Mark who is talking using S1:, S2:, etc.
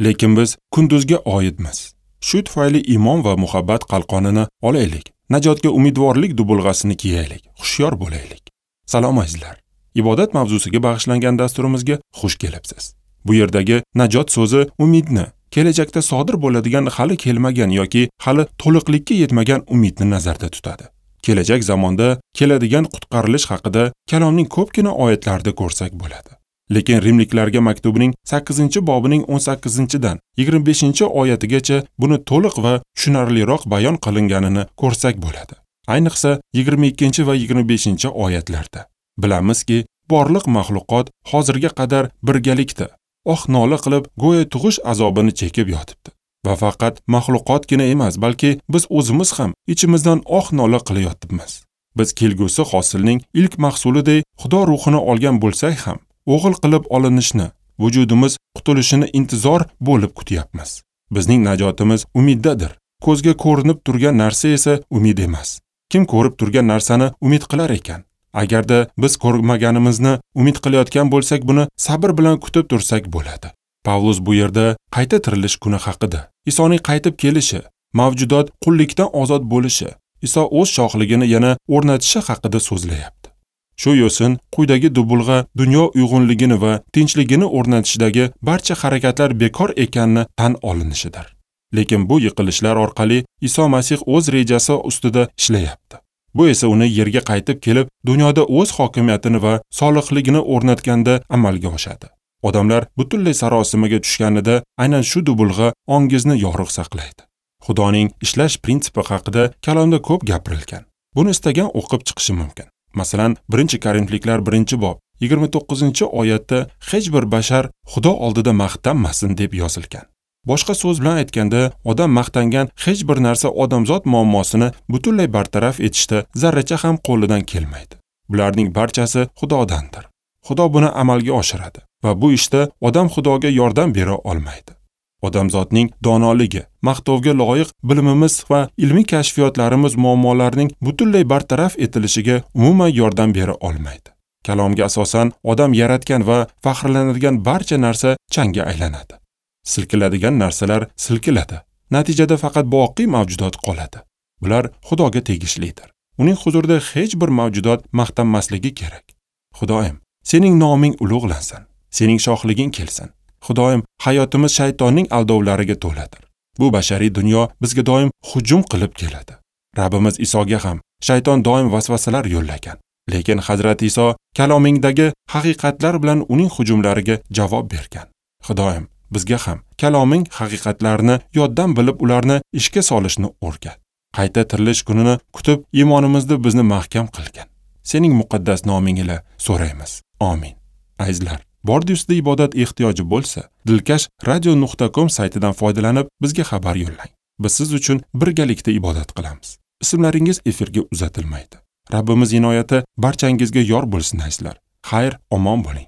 S1: Lekin biz kunduzga oidmiz. Shu tufayli iymon va muhabbat qalqonini olaylik. Najotga umidvorlik dubulg'asini kiyaylik, hushyor bo'laylik. Salom azizlar. Ibodat mavzusiga bag'ishlangan dasturimizga xush kelibsiz. Bu yerdagi najot so'zi umidni, kelajakda sodir bo'ladigan hali kelmagan yoki hali to'liqlikka yetmagan umidni nazarda tutadi. Kelajak zamonda keladigan qutqarilish haqida kalomning ko'pgina oyatlarida ko'rsak bo'ladi. Lekin Rimliklarga maktubining 8-bobining 18-dan 25-oyatigacha buni to'liq va tushunarliroq bayon qilinganini ko'rsak bo'ladi. Ayniqsa 22 va 25-oyatlarda. Bilamizki, borliq maxluqot hozirga qadar birgalikda oh nola qilib, go'yo tug'ish azobini chekib yotibdi. Va faqat maxluqotgina emas, balki biz o'zimiz ham ichimizdan oh nola qilayotibmiz. Biz kelgusi hosilning ilk mahsulidek Xudo ruhini olgan bo'lsak ham, o'g'il qilib olinishni, vujudimiz qutulishini intizor bo'lib kutyapmiz. Bizning najotimiz umiddadir. Ko'zga ko'rinib turgan narsa esa umid emas. Kim ko'rib turgan narsani umid qilar ekan? Agarda biz ko'rmaganimizni umid qilayotgan bo'lsak, buni sabr bilan kutib tursak bo'ladi. Pavlus bu yerda qayta tirilish kuni haqida, Isoning qaytib kelishi, mavjudot qullikdan ozod bo'lishi, Iso o'z shohligini yana o'rnatishi haqida so'zlayapti. Shu yo'sin quyidagi dubulg'a dunyo uyg'unligini va tinchligini o'rnatishdagi barcha harakatlar bekor ekanini tan olinishidir. Lekin bu yiqilishlar orqali Iso Masih o'z rejasi ustida ishlayapti. Bu esa uni yerga qaytib kelib, dunyoda o'z hokimiyatini va solihligini o'rnatganda amalga oshadi. Odamlar butunlay sarosimaga tushganida aynan shu dubulg'a ongizni yorug' saqlaydi. Xudoning ishlash prinsipi haqida kalomda ko'p gapirilgan. Buni istagan o'qib chiqishi mumkin. Masalan, 1-Korinfliklar 1-bob 29-oyatda hech bir bashar Xudo oldida maqtanmasin deb yozilgan. Boshqa so'z bilan aytganda, odam maqtangan hech bir narsa odamzod muammosini butunlay bartaraf etishda zarracha ham qo'lidan kelmaydi. Bularning barchasi Xudodandir. Xudo buni amalga oshiradi va bu ishda odam Xudoga yordam bera olmaydi. Odamzodning donoligi, maqtovga loyiq bilimimiz va ilmiy kashfiyotlarimiz muammolarning butunlay bartaraf etilishiga umuman yordam bera olmaydi. Kalomga asosan odam yaratgan va faxrlanadigan barcha narsa changga aylanadi. Silkiladigan narsalar silkiladi. Natijada faqat boqiy mavjudot qoladi. Bular Xudoga tegishlidir. Uning huzurida hech bir mavjudot maqtanmasligi kerak. Xudoyim, sening noming ulug'lansin, sening shohliging kelsin. Xudoyim, hayotimiz shaytonning aldovlariga to'ladir. Bu bashariy dunyo bizga doim hujum qilib keladi. Rabbimiz Isoga ham shayton doim vasvasalar yo'llagan. Lekin Hazrat Iso kalomingdagi haqiqatlar bilan uning hujumlariga javob bergan. Xudoyim, bizga ham kaloming haqiqatlarini yoddan bilib ularni ishga solishni o'rgat. Qayta tirilish kunini kutib iymonimizda bizni mahkam qilgin. Sening muqaddas noming ila so'raymiz. Amin. Azizlar, bordi ustida ibodat ehtiyoji bo'lsa, dilkashradio.com saytidan foydalanib bizga xabar yo'llang. Biz siz uchun birgalikda ibodat qilamiz. Ismlaringiz efirga uzatilmaydi. Rabbimiz inoyati barchangizga yor bo'lsin azizlar. Xayr, omon bo'ling.